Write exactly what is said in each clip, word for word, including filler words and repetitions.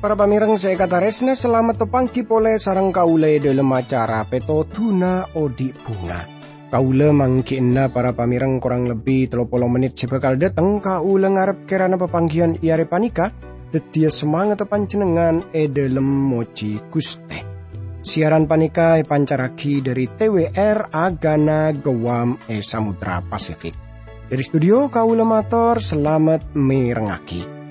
Para pamèreng sè èkatarèsna, salamet tapangghi polè sareng kaulâ è dhâlem acara Pètodhuna Odi' Bhunga. Kaulâ mangghi'na para pamèreng korang lebbi tello polo mennit sè bhâkal dâteng. Kaulâ ngarep kèrana papangghiyân è arè panèka dhâddhiyâ samangatta panjhennengngan è dhâlem mojhi Ghustè. Siaran panèka èpancarraghi dhâri T W R Agana Guam è Samudra Pasifik. Dhâri studio kaulâ mator salamet mèrengngaghi.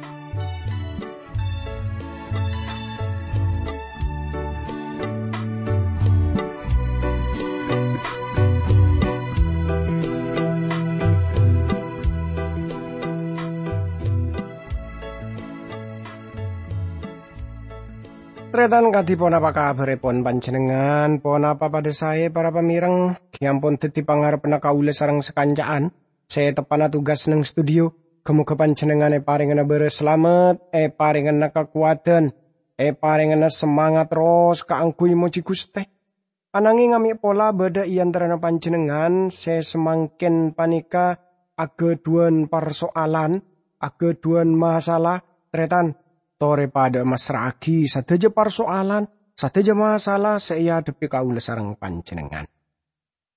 Tarètan, kadhi ponapa kabhârèpon panjhennengngan? Ponapa padâ saè, para pamèreng? Ghi' ampon dhâddhi pangarebbhânna kaulâ sareng sakanca'an sè teppa'na tugas neng studio. Ghâ-moghâ panjhennengngan èparèngana bârâs salamet, èparèngana kakowadhân, èparèngana samangat terros kaangghuy mojhi Ghustè. Ananghing amè' pola bâdâ è antarana panjhennengngan sè samangkèn panèka aghâdhuwân parsoalan, aghâdhuwân masalah, tarètan, torè padâ massra'aghi sadhâjâ parsoalan, sadhâjâ masalah sè èadhebbhi kaulâ sareng panjhennengngan.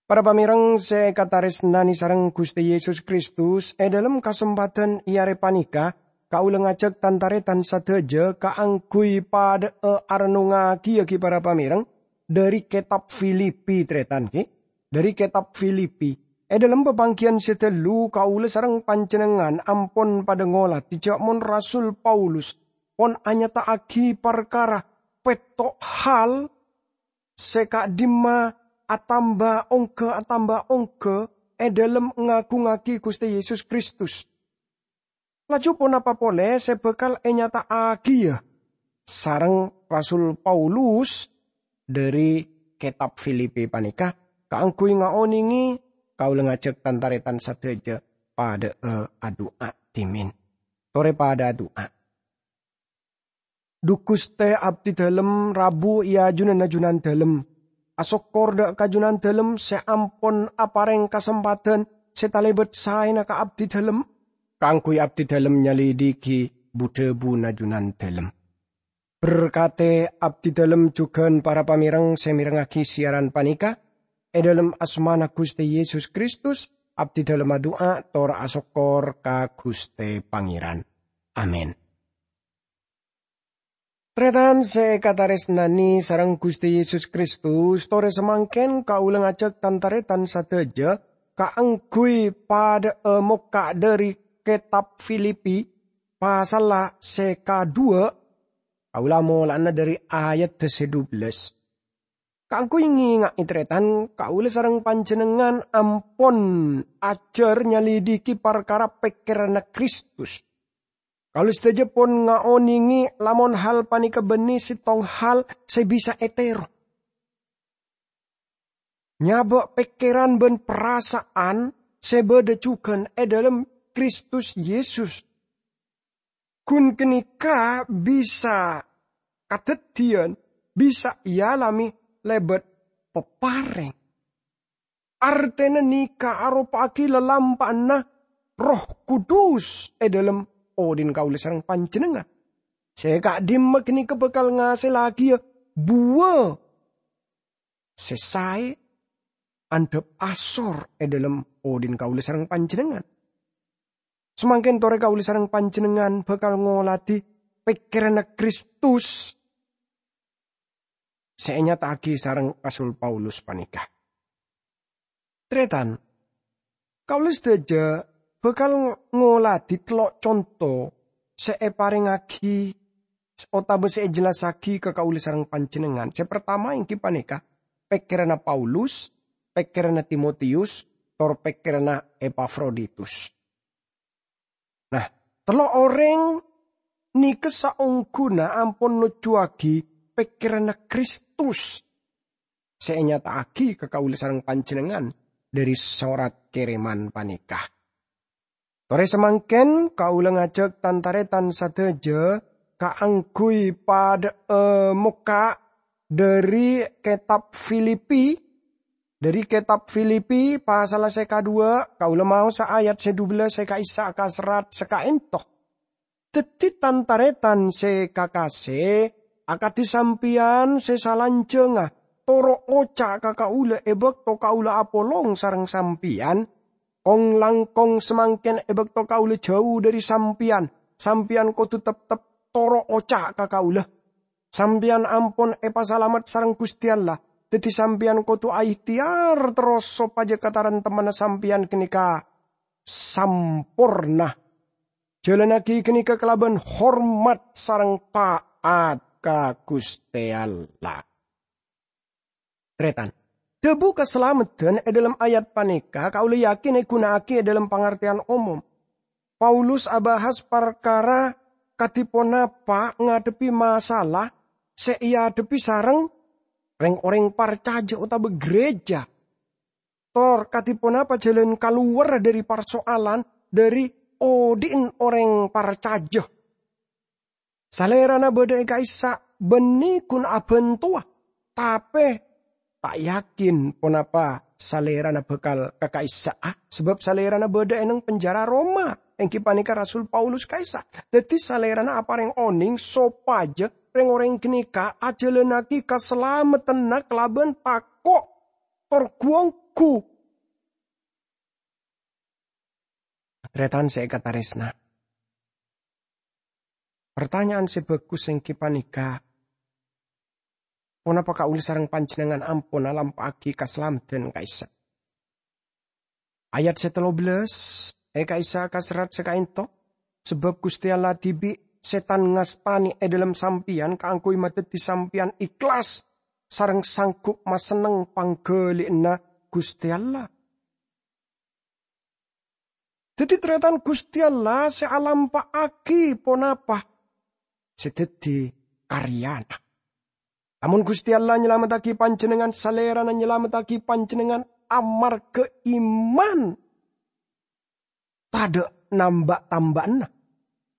Para pamèreng sè èkatarèsnanè sareng Ghustè Yesus Kristus, è dhâlem kasempadhân è arè panèka, kaulâ ngajhâk tan-tarètan sadhâjâ kaangghuy padâ'â arennungngaghi, ghi, para pamèreng, dhâri Kètab Filipi, tarètan, ghi. Dhâri Kètab Filipi. È dhâlem papangghiyân sè ghâllu, kaulâ sareng panjhennengngan ampon padâ ngoladhi jhâ' mon Rasul Paulus pon anyata'aghi parkara pètto' hal sè ka'dimma atamba ongghâ, atamba ongghâ è dhâlem ngagungngaghi Ghustè Yesus Kristus. Laju ponapa polè sè bhâkal ènyata'aghiyâ sareng Rasul Paulus dhâri Kètab Filipi panèka kaangghuy ngaonèngè kaulâ ngajhâk tan-tarètan sadhâjâ padâ'â adu'a dhimèn. Torè padâ adu'a. Dhu Ghustè, abdhi dhâlem rabu è ajunanna Junandhâlem. Asokkor dhâ' ka Junandhâlem sè ampon aparèng kasempadhân sè talèbât saèna ka abdhi dhâlem, kaangghuy abdhi dhâlem nyalèdhighi bu-dhâbuna Junandhâlem. Berkatè abdhi dhâlem jhughân para pamèreng sè mèrengngaghi siaran panèka. È dhâlem asmana Ghustè Yesus Kristus, abdhi dhâlem adu'a tor asokkor ka Ghustè Pangèran. Amin. Tarètan sè èkatarèsnanè sareng Ghustè Yesus Kristus, torè samangkèn kaulâ ngajhâk tan-tarètan sadhâjâ kaangghuy padâ'â mokka' dhâri Kètab Filipi, pasalla sè kadhuwâ', kaulâ mola'ana dhâri ayadda sè dubellâs. Kaangghuy ngènga'è, tarètan, kaulâ sareng panjhennengngan ampon ajhâr nyalèdhighi parkara pèkkèranna Kristus. Kaulâ sadhâjâ pon ngaonèngè lamon hal panèka bânnè sèttong hal sè bisa ètèro. Nyabâ' pèkkèran bân parasa'an sè bâdâ jhughân è dhâlem Kristus Yesus. Ghun ghânèka bisa kadhâddhiyân, bisa èalamè lèbât pèparèng. Artèna nèka aropa'aghi lalampa'anna Erroh Kudus è dhâlem odhi'na kaulâ sareng panjhennengngan. Sè ka'dimma ghânèka bhâkal ngasèllaghi buwâ sè saè andhâp asor è dhâlem odhi'na kaulâ sareng panjhennengngan. Samangkèn torè kaulâ sareng panjhennengngan bhâkal ngoladhi pèkkèranna Kristus sè ènyata'aghi sareng Rasul Paulus panèka. Tarètan, kaulâ sadhâjâ bhâkal ngoladhi tello' conto sè èparèngaghi otabâ sè èjellassaghi ka kaulâ sareng panjhennengngan. Sè partama èngghi panèka pèkkèranna Paulus, pèkkèranna Timotius, tor pèkkèranna Epafroditus. Nah, tello' orèng nèka saongghuna ampon nojjhuwâghi pèkkèranna Kristus sè ènyata'aghi ka kaulâ sareng panjhennengngan dhâri sorat kèrèman panèka. Torè samangkèn kaulâ ngajhâk tan-tarètan sadhâjâ kaangghuy padhâ'â mokka' dhâri kètab Filipi, dhâri kètab Filipi pasalla sè kadhuwâ', kaulâ maosa ayat sè dubellâs sè ka'issa' kaserrat sè ka'ènto. Dhâddhi, tan-tarètan sè kakasè, akadhi sampèyan sè salanjhângnga, toro' oca' ka kaulâ è bâkto kaulâ apolong sareng sampèyan. Kong-langkong samangkèn è bâkto kaulâ jhâu dhâri sampèyan, sampèyan kodhu teptep toro' oca' ka kaulâ. Sampèyan ampon èpasalamet sareng Ghustè Allah, dhâddhi sampèyan kodhu aèhtèyar terros sopajâ kataremtemmanna sampèyan ghânèka samporna. Jhâlânnaghi ghânèka kalabân hormat sareng ta'at ka Ghustè Allah. Tarètan, dhâbu kasalameddhân è dhâlem ayat panèka kaulâ yakin èghuna'aghi è dhâlem pangartèyan omom. Paulus abahas parkara kadhi ponapa ngadhebbhi masalah sè èadhebbhi sareng rèng-orèng parcajâ otabâ gereja. Tor kadhi ponapa jhâlân kalowar dhâri parsoalan dhâri odi'na orèng parcajâ. Salèrana bâdâ è ka'issa' bânnè ghun abhântowa, tapè ta' yakin ponapa salèrana bhâkal ka ka'issa'a, sabâb salèrana bâdâ è neng penjara Roma, èngghi panèka Rasul Paulus ka'issa'. Dhâddhi salèrana aparèng onèng sopajâ rèng-orèng ghânèka ajhâlânnaghi kasalameddhânna kalabân tako' tor ghu-ongghu. Tarètan sè èkatarèsna. Partanya'an sè bhâghus èngghi panèka, ponapa kaulâ sareng panjhennengngan ampon alampa'aghi kasalameddhân ka'issa'? Ayat sè tello bellâs, è ka'issa' kaserrat sè ka'ènto, sabâb Ghustè Allah dhibi' sè tan ngastanè è dhâlem sampèyan kaangghuy madhâddhi sampèyan èhlas sareng sanggup masenneng pangghâli'ânna Ghustè Allah. Dhâddhi, tarètan, Ghustè Allah sè alampa'aghi ponapa sè dhâddhi karyana. Lamon Ghustè Allah nyalamettaghi panjhennengngan, Salèrana nyalamettaghi panjhennengngan amarghâ iman. Tadâ' namba'-tamba'anna.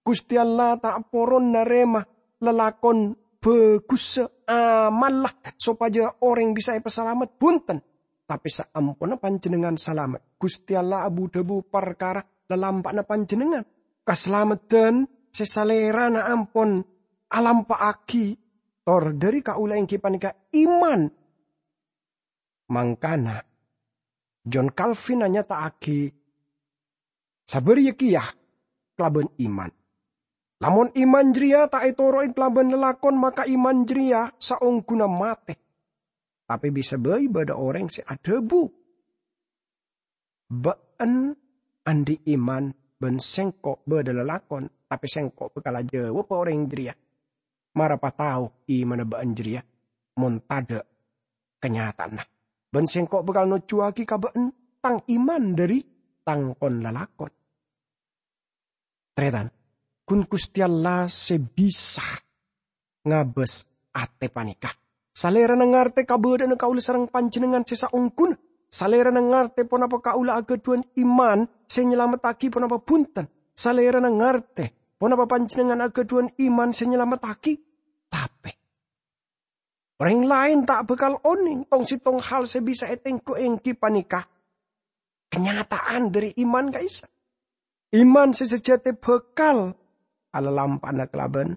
Ghustè Allah ta' poron narèma lalakon bhâghussa amalla sopajâ orèng bisa èpasalamet, bhunten. Tapè saamponna panjhennengngan salamet, Ghustè Allah abu-dhâbu parkara lalampa'na panjhennengngan. Kasalameddhân sè Salèrana ampon alampa'aghi tor dhâri kaulâ èngghi panèka iman. Mangkana, John Calvin anyata'aghi, sabâriyâ kèya kalabân iman. Lamon iman jârèya ta' ètoro'è kalabân lalakon, maka iman jârèya saongghuna matè. Tapè bisa bhâi bâdâ orèng sè adhâbu, "Bâ'en andi' iman bân sèngko' bâdâ lalakon, tapè sèngko' bhâkal ajâwâbhâ orèng jârèya, 'Mara patao imanna bâ'en jârèya, mon tadâ' kanyata'anna. Bân sèngko' bhâkal nojjhuwâghi ka bâ'en tang iman dhâri tang kon-lalakon.'" Tarètan, ghun Ghustè Allah sè bisa ngabâs atè panèka. Salèrana ngartè kabâdâ'ânna kaulâ sareng panjhennengngan sè saongghuna. Salèrana ngartè ponapa kaulâ aghâdhuwân iman sè nyalamettaghi ponapa bhunten. Salèrana ngartè ponapa panjhennengngan aghâdhuwân iman sè nyalamettaghi. Tapè orèng laèn ta' bhâkal onèng. Tong-settong hal sè bisa ètengghu èngghi panèka kanyata'an dhâri iman ka'issa'. Iman sè sajâtè bhâkal alalampa'ana kalabân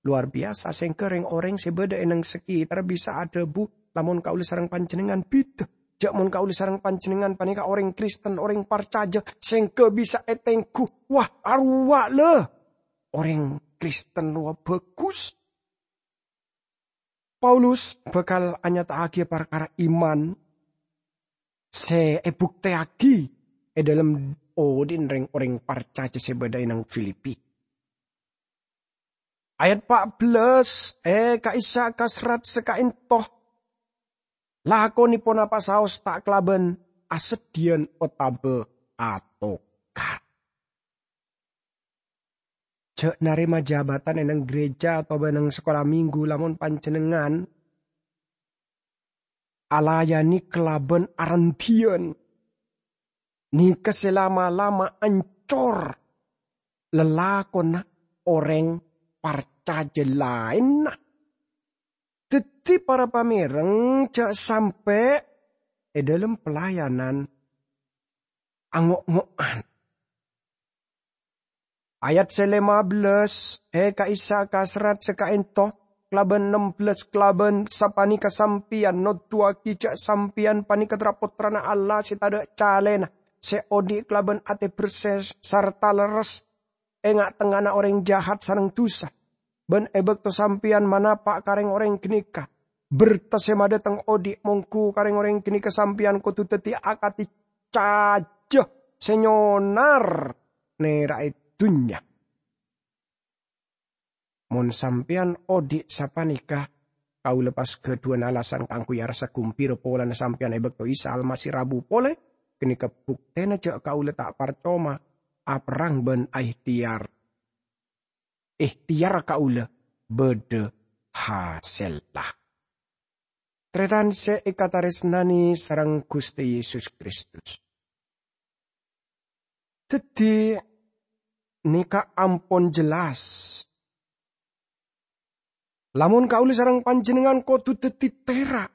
lowar biyasa, sèngghâ rèng-orèng sè bâdâ è neng sakitarra bisa adhâbu, "Lamon kaulâ sareng panjhennengngan bhidhâ. Jâ' mon kaulâ sareng panjhennengngan panèka orèng Kristen, orèng parcajâ, sèngghâ bisa ètengghu. Wah, arowa la orèng Kristen rowa bhâghus." Paulus bhâkal anyata'aghiyâ parkara iman sè èbuktèyaghi è dhâlem odi'na rèng-orèng parcajâ sè bâdâ è neng Filipi. Ayat pa' bellâs, è ka'issa' kaserrat sè ka'ènto, "Lakonè ponapa saos ta' kalabân aseddhiyân otabâ atokar." Jâ' narèma jabatan è neng gereja otabâ neng sakola minggu lamon panjhennengngan alayanè kalabân arendhiyân. Nèka sè lama-lama ancor lalakonna orèng par-, parcajâ laènna. Dhâddhi, para pamèrèng, jhâ' sampè' è dhâlem pelayanan ango'-ngo'an. Ayat sè lèma bellâs, è ka'issa' ka serrat sè ka'ènto, kalabân ennem bellâs, kalabân sapanèka sampèyan noduwâghi jhâ' sampèyan panèka tra-pottrana Allah sè tadâ' calèna, sè odi' kalabân atè bersè sarta lerres è nga'-tengnga'anna orèng jahat sareng dusa. Bân è bâkto sampèyan manapa' ka rèng-orèng ghânèka, berta sè madâteng odi' mongghu ka rèng-orèng ghânèka sampèyan kodhu dhâddhi akadhi cajâ sè nyonar nèra'è dhunnya. Mon sampèyan odi' sapanèka, kaulâ pas ghâdhuwân alasan kaangghuy arassa ghumbira polana sampèyan è bâkto Isa Almasih rabu polè, ghânèka buktèna jhâ' kaulâ ta' parcoma aperrang bân aèhtèyar. Èhtèyar kaulâ bâdâ hasèlla. Tarètan sè èkatarèsnanè sareng Ghustè Yesus Kristus. Dhâddhi, nèka ampon jelas. Lamon kaulâ sareng panjhennengngan kodhu dhâddhi tèra'.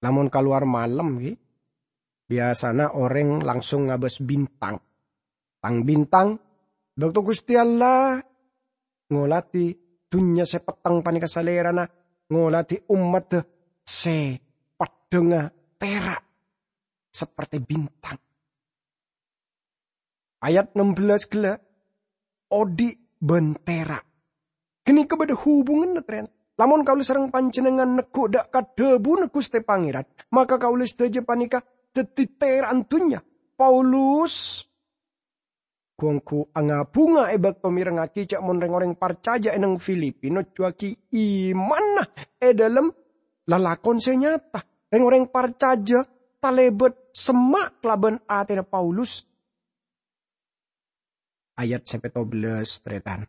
Lamon kalowar malem, ghi, biyasana orèng langsung ngabâs bintang. Tang-bintang, bâkto Ghustè Allah ngoladhi dhunnya sè petteng panèka Salèrana ngoladhi ommaddhâ sè peddhângnga tèra' saperte bintang. Ayat ennem bellâs ghellâ', odi' bân tèra'. Ghânèka bâdâ hubunganna, tarètan. Lamon kaulâ sareng panjhennengngan neggu' dâ' ka dhâbuna Ghustè Pangèran, maka kaulâ sadhâjâ panèka dhâddhi tèra'na dhunnya. Paulus gu-ongghu nga-bhunga è bâkto mèrengngaghi jhâ' mon rèng-orèng parcajâ è neng Filipi nojuwâghi imanna è dhâlem lalakon sè nyata. Rèng-orèng parcajâ talèbât semma' kalabân atèna Paulus. Ayat sè pètto bellâs, tarètan.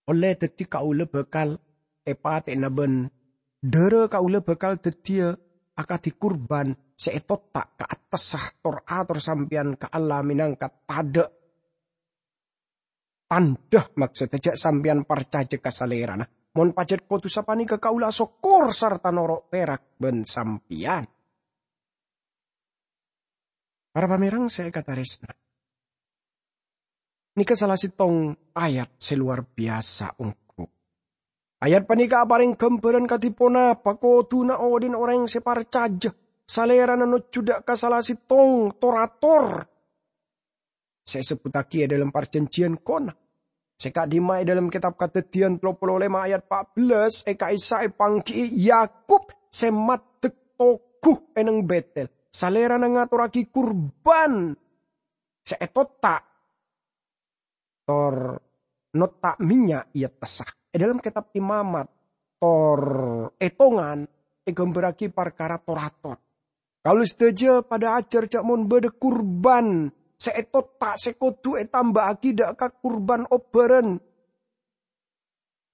Ollè dhâddhi kaulâ bhâkal èpatè'ana bân dhârâ kaulâ bhâkal dhâddhiyâ akadhi kurban sè ètotta' ka attassa tor-ator sampèyan ka Allah mènangka tadâ' tandhâ, maksodda jhâ' sampèyan parcajâ ka Salèrana. Mon pajhât kodhu sapanèka kaulâ asokkor sarta noro' pèrak bân sampèyan. Para pamèreng sè èkatarèsna, nèka sala sèttong ayat sè lowar biyasa ongghu. Ayat panèka aparèng ghâmbhârân kadhi ponapa kodhuna odi'na orèng sè parcajâ Salèrana nojjhu dâ' ka sala sèttong tor-ator sè èsebbhuttaghi è dhâlem Parjhânjhiyân Kona. Sè ka'dimma è dhâlem kètab Kadhâddhiyân tello polo lèma ayat pa' bellâs, è ka'issa' èpangghi'i Yakub sè maddhek togu è neng Bètel. Salèrana ngatorraghi kurban sè ètotta', tor notta' mènnya' è attassa. È dhâlem kètab Imamat, tor Ètongan èghâmbhârraghi parkara tor-ator. Kaulâ sadhâjâ padâ ajhâr jhâ' mon bâdâ kurban sè ètotta' sè kodhu ètambâ'âghi dâ' ka kurban obbhârân.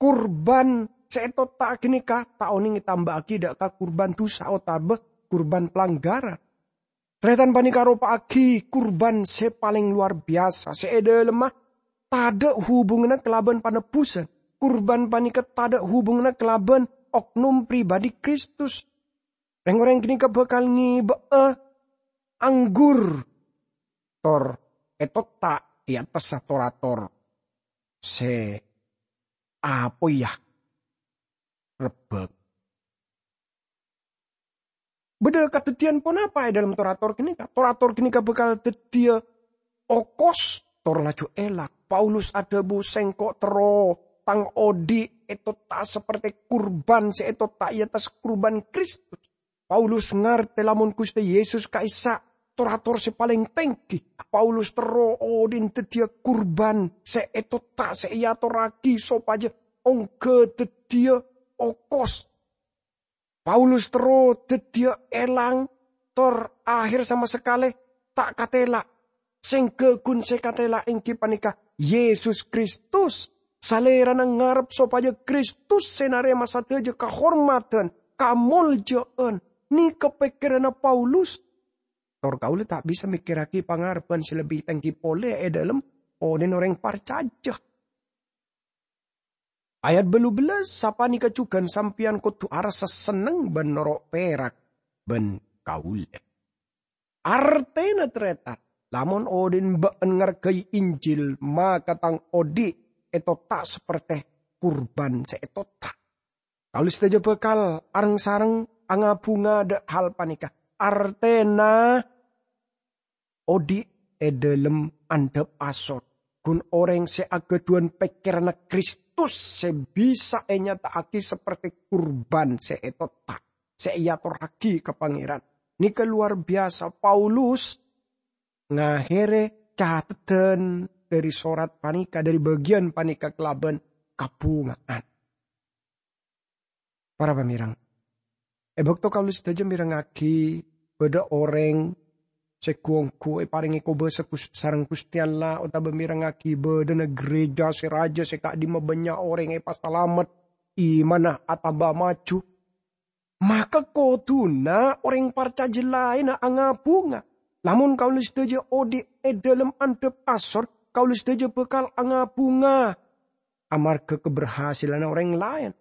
Kurban sè ètotta' ghânèka ta' onèng ètambâ'âghi dâ' ka kurban dhusa otabâ kurban palangghârân. Tarètan panèka aropa'aghi kurban sè palèng lowar biyasa, sè è dhâlemma tadâ' hubunganna kalabân panebbusan. Kurban panèka tadâ' hubunganna kalabân oknum pribadi Kristus. Rèng-orèng ghânèka bhâkal ngèbâ'â anggur tor ètotta' è attassa tor-ator sè apoya rebbhâk. Bâdâ kadhâddhiyân ponapa è dhâlem tor-ator ghânèka? Tor-ator ghânèka bhâkal dhâddhiyâ okos, tor laju èlang. Paulus adhâbu, "Sèngko' terro tang odi' ètotta' saperte kurban sè ètotta' è attas kurban Kristus." Paulus ngartè lamon Ghustè Yesus ka'issa' tor-ator sè palèng tèngghi. Paulus terro odi'na dhâddhiyâ kurban sè ètotta' sè èatorraghi sopajâ ongghâ dhâddhiyâ okos. Paulus terro dhâddhiyâ èlang, tor ahèr sama sakalè ta' katèla'. Sèngghâ ghun sè katèla' èngghi panèka Yesus Kristus. Salèrana ngarep sopajâ Kristus sè narèma sadhâjâ kahormadhân, kamoljâ'ân. Nèka pèkkèranna Paulus. Tor kaulâ ta' bisa mèkkèrraghi pangarebbhân sè lebbi tèngghi polè è dhâlem onèn orèng parcajâ. Ayat bâllu bellâs, "Sapanèka jhughân sampèyan kodhu arassa senneng bân noro' pèrak bân kaulâ." Artèna, tarètan, lamon odi'na bâ'ân ngargai Injil, maka tang odi' ètotta' saperte kurban sè ètotta'. Kaulâ sadhâjâ bhâkal areng-sareng angabhunga dâ' hal panèka. Artèna, odi' è dhâlem andhâp asor, ghun orèng sè aghâdhuwân pèkkèranna Kristus sè bisa ènyata'aghi saperte kurban sè ètotta', sè èatorraghi ka Pangèran. Nèka lowar biyasa. Paulus ngaherre cateddhân dhâri sorat panèka, dhâri bâgiyân panèka kalabân kabhunga'an. Para pamèreng, è bâkto kaulâ sadhâjâ mèrengngaghi bâdâ orèng sè ghu-ongghu èparèngè kobâsa Gus-, sareng Ghustè Allah, otabâ mèrengngaghi bâdâna gereja sè rajâ sè ka'dimma bânnya' orèng èpasalamet, imanna atamba maju, maka kodhuna orèng parcajâ laènna angabhunga. Lamon kaulâ sadhâjâ odi' è dhâlem andhâp asor, kaulâ sadhâjâ bhâkal angabhunga amarghâ kaberhasilanna orèng laèn.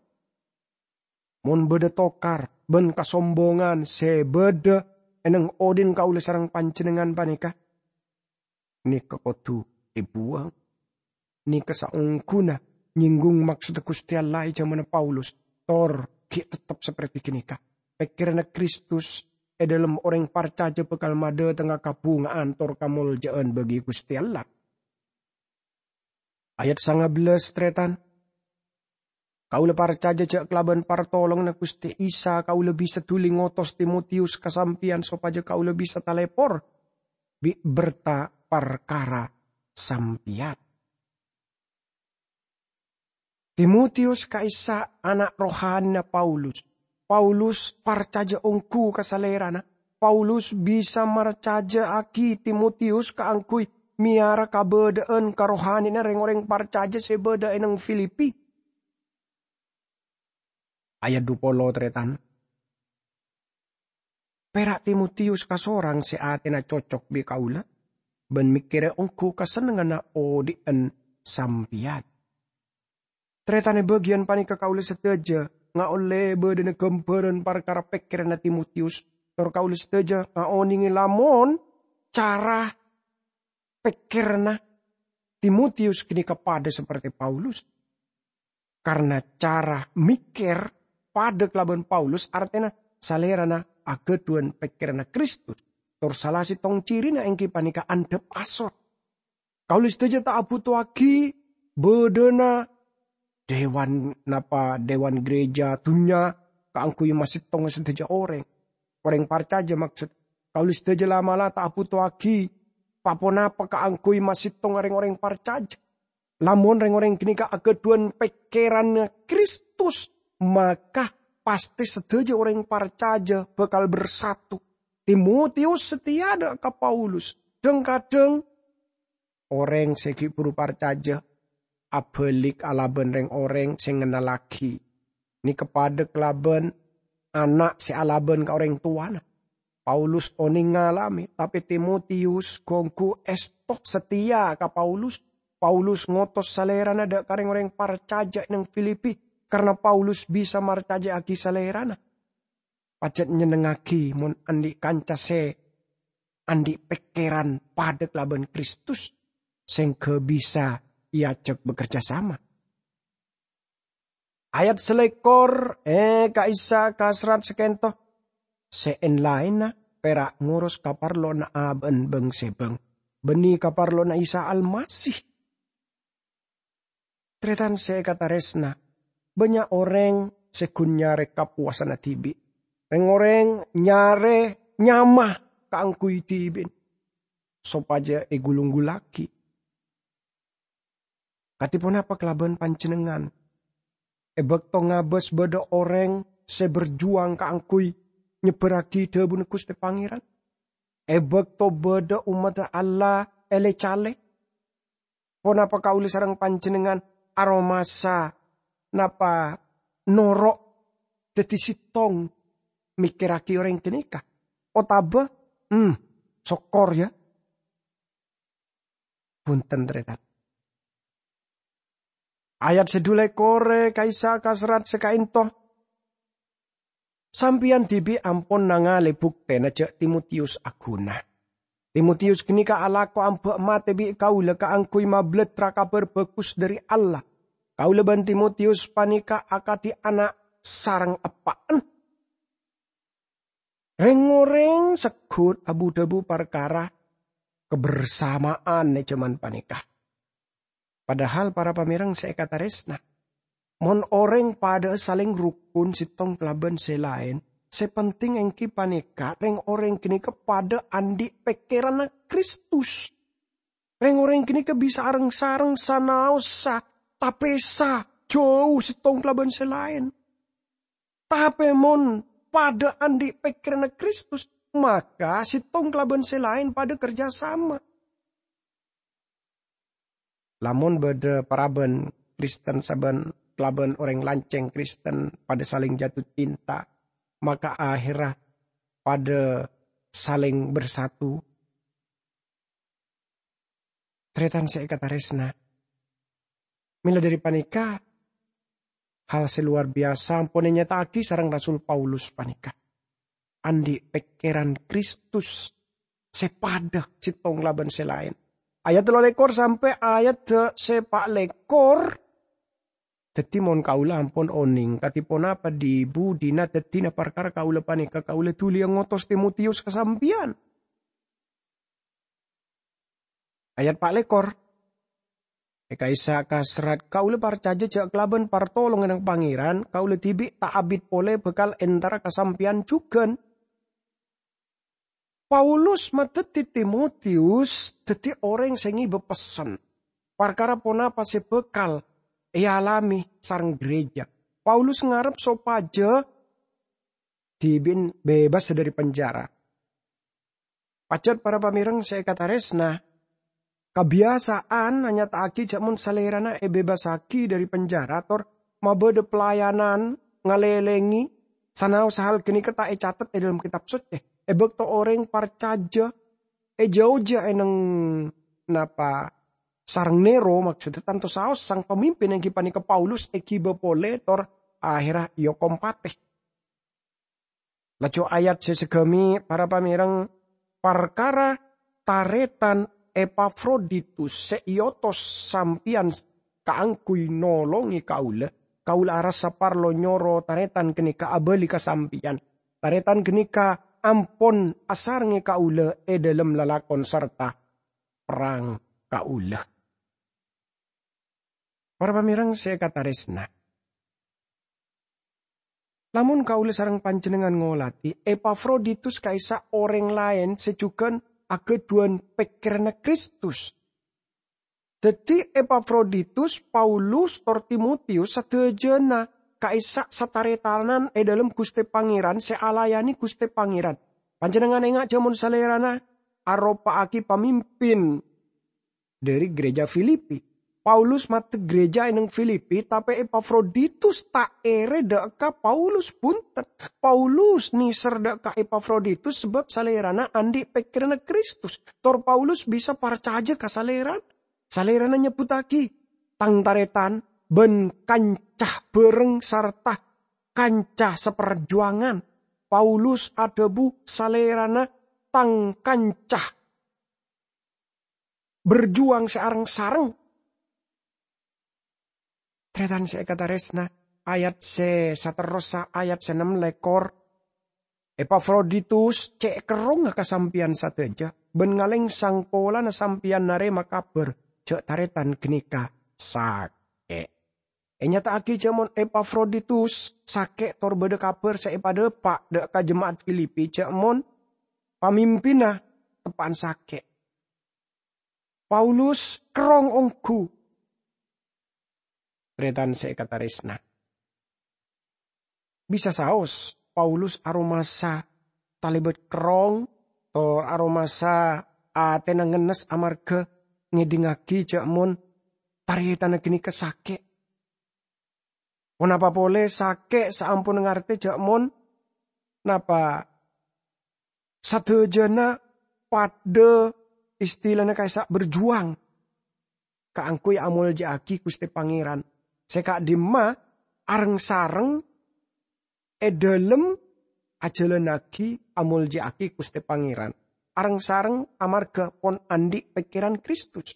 Mon bâdâ tokar bân kasombongan sè bâdâ è neng odi'na kaulâ sareng panjhennengngan panèka, nèka kodhu èbuwâng. Nèka saongghuna nyènggung maksodda Ghustè Allah è jhâmanna Paulus, tor ghi' tettep saperte ghânèka. Pèkkèranna Kristus è dhâlem orèng parcajâ bhâkal madhâtengnga kabhunga'an tor kamolja'an bagi Ghustè Allah. Ayat sanga bellâs, tarètan. Kaulâ parcajâ jhâ' kalabân partolonganna Ghustè Isa, kaulâ bisa dhuli ngotos Timotiyus ka sampèyan sopajâ kaulâ bisa talèpor bi' berta parkara sampèyan. Timotiyus ka'issa' ana' rohanina Paulus. Paulus parcajâ ongghu ka salèrana. Paulus bisa marcajâ'aghi Timotiyus kaangghuy mèyara kabâdâ'ân karohanina rèng-orèng parcajâ sè bâdâ è neng Filipi. Ayat dupolo, tarètan. Pèra' Timotiyus kasorang sè atèna cocok bi' kaulâ, bân mèkkèrè ongghu kasennengnganna odi'na sampèyan. Tarètan è bâgiyân panèka kaulâ sadhâjâ ngaollè bâdâna ghâmbhârân parkara pèkkèranna Timotiyus, tor kaulâ sadhâjâ ngaonèngè lamon cara pèkkèranna Timotiyus ghânèka padâ saperte Paulus. Karna cara mèkkèr padâ kalabân Paulus, artèna salèrana aghâdhuwân pèkkèranna Kristus. Tor sala sèttong cirina èngghi panèka andhâp asor. Kaulâ sadhâjâ ta' abhutowaghi bâdâna dewan, napa dewan gereja dunnya kaangghuy masèttonga sadhâjâ orèng. Orèng parcajâ, maksod. Kaulâ sadhâjâ la'-mala' ta' abhutowaghi pa-ponapa kaangghuy masèttonga rèng-orèng parcajâ. Lamon rèng-orèng ghânèka aghâdhuwân pèkkèranna Kristus, maka pastè sadhâjâ orèng parcajâ bhâkal bersatu. Timotiyus sateya dâ' ka Paulus. Dhâng-kadhâng orèng sè ghi' bhuru parcajâ abhâlik alabân rèng-orèng sè ngennallaghi. Nèka padâ kalabân ana' sè alabân ka orèng towana. Paulus onèng ngalamè, tapè Timotiyus ghu-ongghu èsto sateya ka Paulus. Paulus ngotos salèrana dâ' ka rèng-orèng parcajâ è neng Filipi, karna Paulus bisa marcajâ'aghi salèrana. Pajhât nyennengngaghi mon andi' kanca sè andi' pèkkèran padâ kalabân Kristus, sèngghâ bisa èajhâk bekerja sama. Ayat salèkor, è ka'issa' ka serrat sakènto, sè èn-laènna pèra' ngoros kaparlowanna abâ'na bâng-sèbâng, bânnè kaparlowanna Isa Almasih. Tarètan sè èkatarèsna, bânnya' orèng sè ghun nyarè kapowasanna dhibi'. Rèng-orèng nyarè nyama kaangghuy dhibi'na, sopajâ ègulung-gulluwaghi. Kadhi ponapa kalabân panjhennengngan? È bâkto ngabâs bâdâ orèng sè berjuang kaangghuy nyebbhârraghi dhâbuna Ghustè Pangèran? È bâkto bâdâ ommaddhâ Allah èlè-calè? Ponapa kaulâ sareng panjhennengngan aromasa napa noro' dhâddhi sèttong mèkkèrraghi orèng ghânèka? Otabâ, hmm, sokkor, ya. Bhunten, tarètan. Ayat sè dhu lèkor è ka'issa' ka serrat sè ka'ènto. Sampèyan dhibi' ampon nangalè buktèna jhâ' Timotius aghuna. Timotius ghânèka alako amba' matè bi' kaulâ kaangghuy mablattra Kabhâr Bhâghus dhâri Allah. Kaulâ bân Timotius panèka akadhi ana' sareng eppa'na. Rèng-orèng segghut abu-dhâbu parkara kabersamaan è jhâman panèka. Padahal, para pamèrèng sè èkatarèsna, mon orèng padhâ'â salèng rokon sèttong kalabân sè laèn, sè penting èngghi panèka rèng-orèng ghânèka padhâ andi' pèkkèranna Kristus. Rèng-orèng ghânèka bisa areng-sareng sanaossa tapèsa jhâu sèttong kalabân sè laèn. Tapè mon padhâ andi' pèkkèranna Kristus, maka sèttong kalabân sè laèn padhâ kerja sama. Lamon bâdâ parabân Kristen sabân kalabân orèng lancèng Kristen padhâ salèng jatuh cinta, maka aherra padhâ salèng bersatu. Tarètan sè èkatarèsna, mèla dhâri panèka, hal sè lowar biyasa ampon ènyata'aghi sareng Rasul Paulus panèka. Andi' pèkkèran Kristus sè padhâ sèttong kalabân sè laèn. Ayat tello lèkor sampè' ayat sè pa' lèkor. Dhâddhi, mon kaulâ ampon onèng kadhi ponapa dhi-budhina dhâddhina parkara kaulâ panèka, kaulâ dhuliyâ ngotos Timotius ka sampèyan. Ayat pa' lèkor. È ka'issa' ka serrat, kaulâ parcajâ jhâ' kalabân partolonganna Pangèran, kaulâ dhibi' ta' abit polè bhâkal entara ka sampèyan jhughân. Paulus madhâddhi Timotius dhâddhi orèng sè ngibâ pessen parkara ponapa sè bhâkal èalamè sareng gereja. Paulus ngarep sopajâ dhibi'na bebas dhâri penjara. Pajhât para pamèrèng sè èkatarèsna, kabiyasaan anyata'aghi jhâ' mon salèrana èbebassaghi dhâri penjara tor mabâdâ pelayanan ngalèlèngè sanaossa hal ghânèka ta' ècatet è dhâlem Kètab Socè. È bâkto orèng parcajâ èjhâujhâ ènèng napa sareng Nero, maksodda tanto saos sang pamimpin èngghi panèka Paulus èghibâ polè tor aherra èokom patè. Laju ayat sè saghâmè', para pamèrèng, parkara tarètan Epafroditus sè èotos sampèyan kaangghuy nolongè kaulâ, kaulâ arassa parlo nyoro tarètan ghânèka abâli ka sampèyan. Tarètan ghânèka ampon asarengngè kaulâ è dhâlem lalakon sarta perrang kaulâ. Para pamèrèng sè èkatarèsna, lamon kaulâ sareng panjhennengngan ngolatè Epafroditus ka'issa' orèng laèn sè jhughân aghâdhuwân pèkkèranna Kristus. Dhâddhi Epafroditus, Paulus, tor Timotius sadhâjâna ka'issa' sataretanan è dhâlem Ghustè Pangèran sè alayanè Ghustè Pangèran. Panjhennengngan enga' jhâ' mon salèrana aropa'aghi pamimpin dhâri gereja Filipi. Paulus maddhek gereja è neng Filipi, tapè Epafroditus ta' èrè dhâ' ka Paulus, bhunten. Paulus nèser dhâ' ka Epafroditus sabâb salèrana andi' pèkkèranna Kristus. Tor Paulus bisa parcajâ ka salèrana. Salèrana nyebbhuttaghi, "Tang tarètan bân kanca bhâreng sarta kanca saparjuwangan." Paulus adhâbu salèrana, "Tang kanca berjuang sè areng-sareng." Tarètan sè èkatarèsna, ayat sè saterrossa, ayat sè nem lèkor, "Epafroditus cè' kerrongnga ka sampèyan sadhâjâ, bân ngalèngsang polana sampèyan narèma kabhâr jhâ' tarètan ghânèka sakè'." Ènyata'aghi jhâ' mon Epafroditus sakè' tor bâdâ kabhâr sè èpadhâpa' dhâ' ka jema'at Filipi jhâ' mon pamimpinna teppa'an sakè'. Paulus kerrong ongghu. Tarètan sè èkatarèsna, bisa saos Paulus aromasa talèbât kerrong, tor aromasa atèna ngennes amarghâ ngèdingngaghi jhâ' mon tarètanna ghânèka sakè'. Ponapa polè sakè' saamponna ngartè jhâ' mon napa sadhâjâna padhâ istilana ka'issa' berjuang kaangghuy amolja'aghi Ghustè Pangèran. sè ka'dimma areng-sareng è dhâlem ajhâlânnaghi amoljâ'aghi Ghustè Pangèran, areng-sareng amarghâ pon andi' pèkkèran Kristus.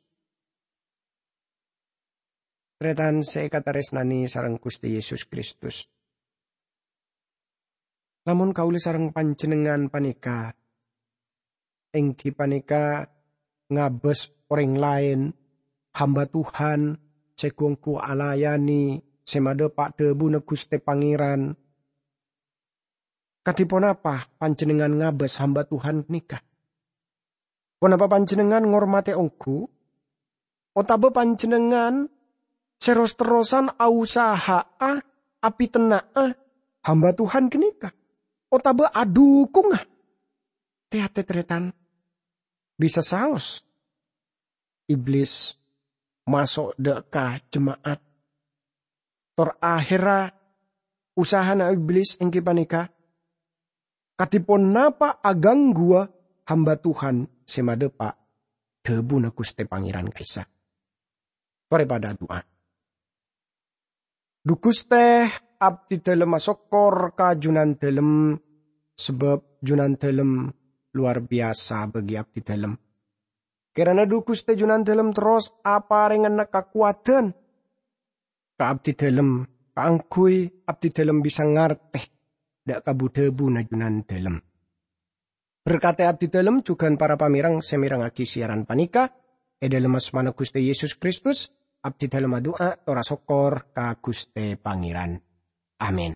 Tarètan sè èkatarèsnanè sareng Ghustè Yesus Kristus. Lamon kaulâ sareng panjhennengngan panèka, èngghi panèka ngabâs orèng laèn, hamba Tuhan sè ghu-ongghu alayanè sè madhâpa' dhâbuna Ghustè Pangèran, kadhi ponapa panjhennengngan ngabâs hamba Tuhan ghânèka? Ponapa panjhennengngan ngormatè ongghu? Otabâ panjhennengngan sè ros-terrosan ausaha'a apètenna'a hamba Tuhan ghânèka? Otabâ adhukungnga? Tè-ngatè, tarètan, bisa saos Iblis maso' dâ' ka jema'at. Tor aherra usahana Iblis èngghi panèka kadhi ponapa agangguwâ hamba Tuhan sè madhâpa' dhâbuna Ghustè Pangèran ka'issa'. Torè padâ adu'a. Dhu Ghustè, abdhi dhâlem asokkor ka Junandhâlem, sabâb Junandhâlem lowar biyasa bagi abdhi dhâlem. Kèrana Dhu Ghustè Junandhâlem terros aparèngana kakowadhân ka abdhi dhâlem, kaangghuy abdhi dhâlem bisa ngartè dâ' ka bu-dhâbuna Junandhâlem. Berkatè abdhi dhâlem jhughân para pamèreng sè mèrengngaghi siyaran panèka. È dhâlem asmana Ghustè Yesus Kristus, abdhi dhâlem adu'a tor asokkor ka Ghustè Pangèran. Amin.